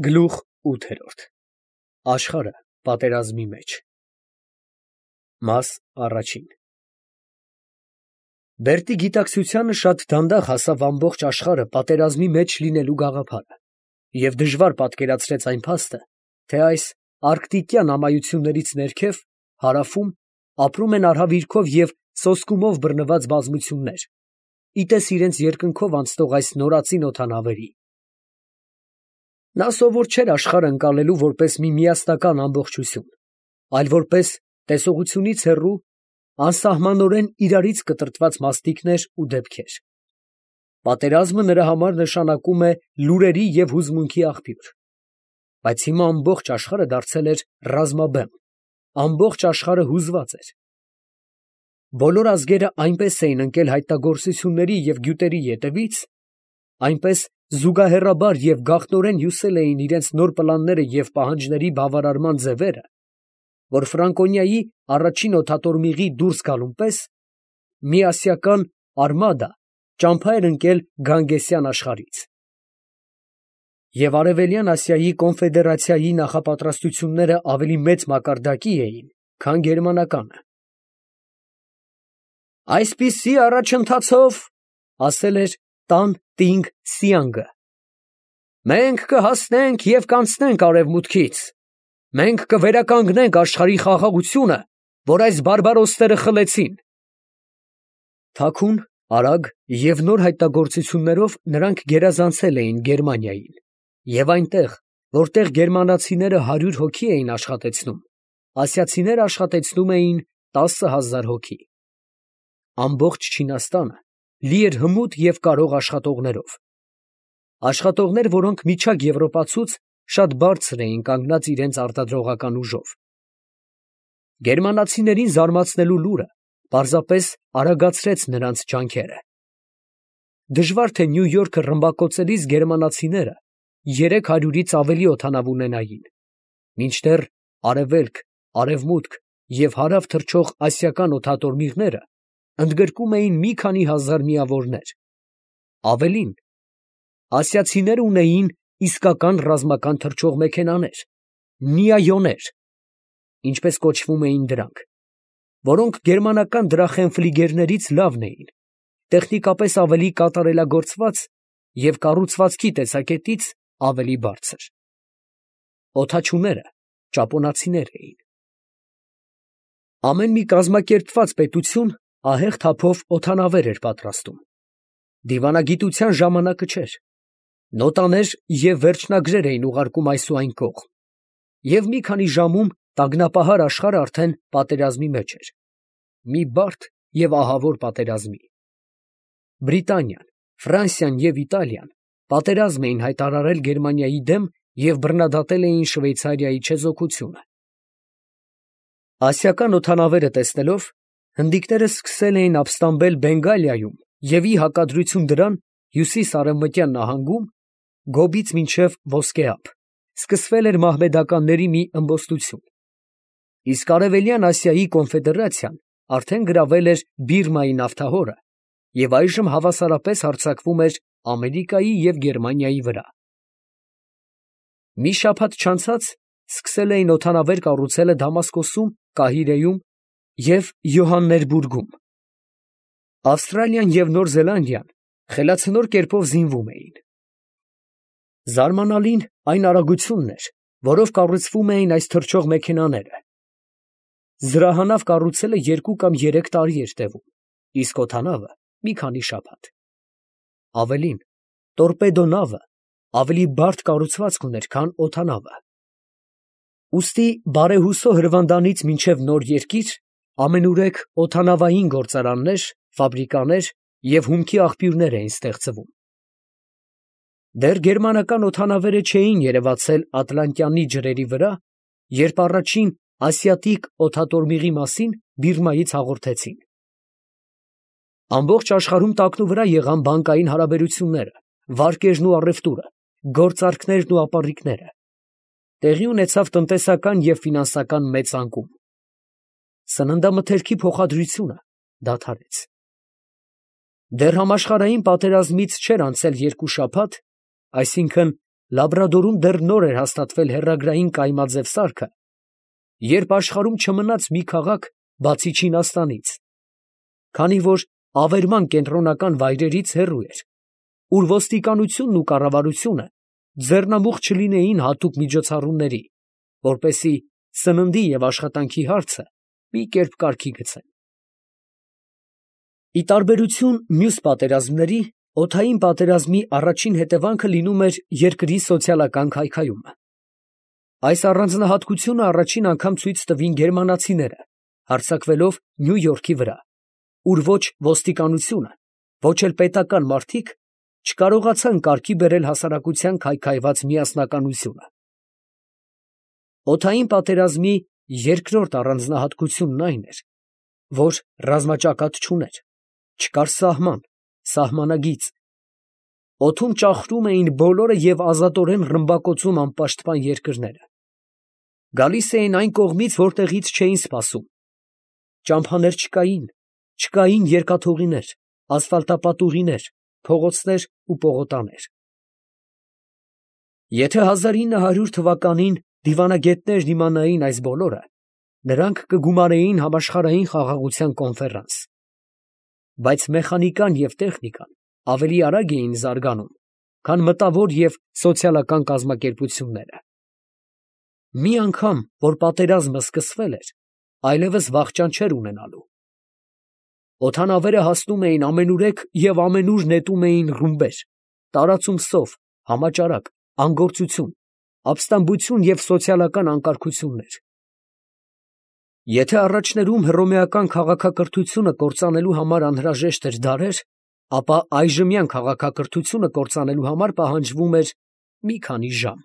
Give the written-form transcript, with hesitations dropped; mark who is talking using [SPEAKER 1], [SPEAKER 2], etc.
[SPEAKER 1] Գլուխ 8 Աշխարհը պատերազմի մեջ Մաս առաջին Բերտի գիտակցությանը շատ դանդաղ հասավ ամբողջ աշխարհը պատերազմի մեջ լինելու գաղափարը և դժվար պատկերացրեց այն փաստը, թե այս արկտիկյան ամայություններից ներքև, հարավում, ապրում են արհավիրքով և սոսկումով բռնված բազմություններ,իտես իրենց երկնքով անցնող այս նորածին օդանավերի։ Նա սովոր չէր աշխարհը ընկալելու որպես մի միասնական ամբողջություն, այլ որպես տեսողությունից հեռու, անսահմանորեն իրարից կտրտված մասնիկներ ու դեպքեր։ Պատերազմը նրա համար նշանակում է լուրերի և հուզմունքի աղբյուր, բայց հիմա ամբողջ աշխարհը դարձել էր ռազմաբեմ, ամբողջ աշխարհը հուզված էր։ Բոլոր ազգերը այնպես էին ընկել հայտնագործությունների և գյուտերի ետևից, այնպես զուգահեռաբար և գաղտնորեն հյուսել էին իրենց նոր պլանները և պահանջների բավարարման ձևերը, որ Ֆրանկոնիայի առաջին օդատորմիղի դուրս գալուն պես մի ասիական արմադա ճամփա էր ընկել Գանգեսյան աշխարհից։ Եվ Արևելյան Ասիայի կոնֆեդերացիայի նախապատրաստությունները ավելի մեծ մակարդակի էին, քան գերմանականը։ «Այսպիսի առաջընթացով, ֊ ասել էր Տան Տինգ Սիանգը, ֊ մենք կհասնենք և կանցնենք արևմուտքից, մենք կվերականգնենք աշխարհի խաղաղությունը, որ այս բարբարոսները խլեցին»։ Թաքուն, արագ և նոր հայտնագործություններով նրանք գերազանցել էին Գերմանիային, և այնտեղ, որտեղ գերմանացիները 100 հոգի էին աշխատեցնում, ասիացիները աշխատեցնում էին 10,000 հոգի։ Ամբողջ Չինաստանը լի էր հմուտ և կարող աշխատողներով, որոնք միջակ եվրոպացուց շատ բարձր էին կանգնած իրենց արտադրողական ուժով։ Գերմանացիներին զարմացնելու լուրը պարզապես արագացրեց նրանց ջանքերը։ Դժվար թե Նյու Յորքը ռմբակոծելիս գերմանացիները 300-ից ավելի օդանավ ունենային, մինչդեռ արևելք, արևմուտք և հարավ թռչող ասիական օդատորմիղները ընդգրկում էին մի քանի հազար միավորներ։ Ավելին, ասիացիները ունեին իսկական ռազմական թռչող մեքենաներ, նիայոներ, ինչպես կոչվում էին դրանք, որոնք գերմանական դրախենֆլիգերներից լավն էին, տեխնիկապես ավելի կատարելագործված և կառուցվածքի տեսակետից ավելի բարձր։ Օդաչուները ճապոնացիներ էին։ Ամեն մի կազմակերպված պետություն ահեղ թափով օդանավեր էր պատրաստում։ Դիվանագիտության ժամանակը չէր։ Նոտաներ և վերջնագրեր էին ուղարկում այս ու այն կողմ, և մի քանի ժամում տագնապահար աշխարհը արդեն պատերազմի մեջ էր, մի բարդ և ահավոր պատերազմի։ Բրիտանիան, Ֆրանսիան և Իտալիան պատերազմ էին հայտարարել Գերմանիայի դեմ և բռնադատել էին Շվեյցարիայի չեզոքությունը։ Ասիական օդանավերը տեսնելով, հնդիկները սկսել էին ապստամբել Բենգալիայում և ի հակադրություն դրան հյուսիս֊արևմտյան նահանգում, Գոբից մինչև Ոսկեհաբ, սկսվել էր մահմեդականների մի ըմբոստություն, իսկ Արևելյան Ասիայի կոնֆեդերացիան արդեն գրավել էր Բիրմայի նավթահորը և այժմ հավասարապես հարձակվում էր Ամերիկայի և Գերմանիայի վրա։ Մի շաբաթ չանցած սկսել էին օդանավեր կառուցելը Դամասկոսում, Կահիրեում և Յոհաններբուրգում։ Ավստրալիան և Նոր Զելանդիան խելացնոր կերպով զինվում էին։ Զարմանալին այն արագությունն էր, որով կառուցվում էին այս թռչող մեքենաները։ Զրահանավ կառուցելը 2 կամ 3 տարի էր տևում, իսկ օդանավը մի քանի շաբաթ։ Ավելին, տորպեդո նավը ավելի բարդ կառուցվածք ուներ, քան օդանավը։ Ուստի բարեհուսո հրվանդանից մինչև Նոր Երկիր ամենուրեք օդանավային գործարաններ, ֆաբրիկաներ և հումքի աղբյուրներ էին ստեղծվում։ Դեռ գերմանական օդանավերը չէին երևացել Ատլանտյանի ջրերի վրա, երբ առաջին ասիատիկ օդատորմիղի մասին Բիրմայից հաղորդեցին։ Ամբողջ աշխարհում տակնուվրա եղան բանկային հարաբերությունները, վարկերն ու առևտուրը, գործարքներն ու ապառիկները։ Տեղի ունեցավ տնտեսական և ֆինանսական մեծ անկում։ Սննդամթերքի փոխադրությունը դադարեց։ Դեռ համաշխարհային պատերազմից չէր անցել 2 շաբաթ, այսինքն Լաբրադորում դեռ նոր էր հաստատվել հեռագրային կայմաձև սարքը, երբ աշխարհում չմնաց մի քաղաք, բացի Չինաստանից, քանի որ ավերման կենտրոնական վայրերից հեռու էր, ուր ոստիկանությունն ու կառավարությունը ձեռնամուխ չլինեին հատուկ միջոցառումների, որպեսզի սննդի և աշխատանքի հարցը մի կերպ կարգի գցեն։ Ի տարբերություն մյուս պատերազմների, օդային պատերազմի առաջին հետևանքը լինում էր երկրի սոցիալական քայքայումը։ Այս առանձնահատկությունը առաջին անգամ ցույց տվին գերմանացիները, հարձակվելով Նյու Յորքի վրա, ուր ոչ ոստիկանությունը, ոչ էլ պետական մարդիկ չկարողացան կարգի բերել հասարակության քայքայված միասնականությունը։ Օդային պատերազմի երկրորդ առանձնահատկությունն այն էր, որ ռազմաճակատ չուներ, չկար սահման, սահմանագիծ։ Օդում ճախրում էին բոլորը և ազատորեն ռմբակոծում անպաշտպան երկրները։ Գալիս էին այն կողմից, որտեղից չէին սպասում։ Ճամփաներ չկային երկաթուղիներ, ասֆալտապատուղիներ, փողոցներ ու պողոտաներ։ Եթե 1900 թվականին դիվանագետներն իմանային այս բոլորը, նրանք կգումարեին համաշխարհային խաղաղության կոնֆերանս։ Բայց մեխանիկան և տեխնիկան ավելի արագ էին զարգանում, քան մտավոր և սոցիալական կազմակերպությունները։ Մի անգամ, որ պատերազմը սկսվել էր, այլևս վախճան չէր ունենալու։ Օդանավերը հասնում էին ամենուրեք և ամենուր նետում էին ռումբեր, տարածում սով, համաճարակ, անգործություն, ապստամբություն և սոցիալական անկարգություններ։ Եթե առաջներում հռոմեական քաղաքակրթությունը կործանելու համար անհրաժեշտ էր դարեր, ապա այժմյան քաղաքակրթությունը կործանելու համար պահանջվում էր մի քանի ժամ։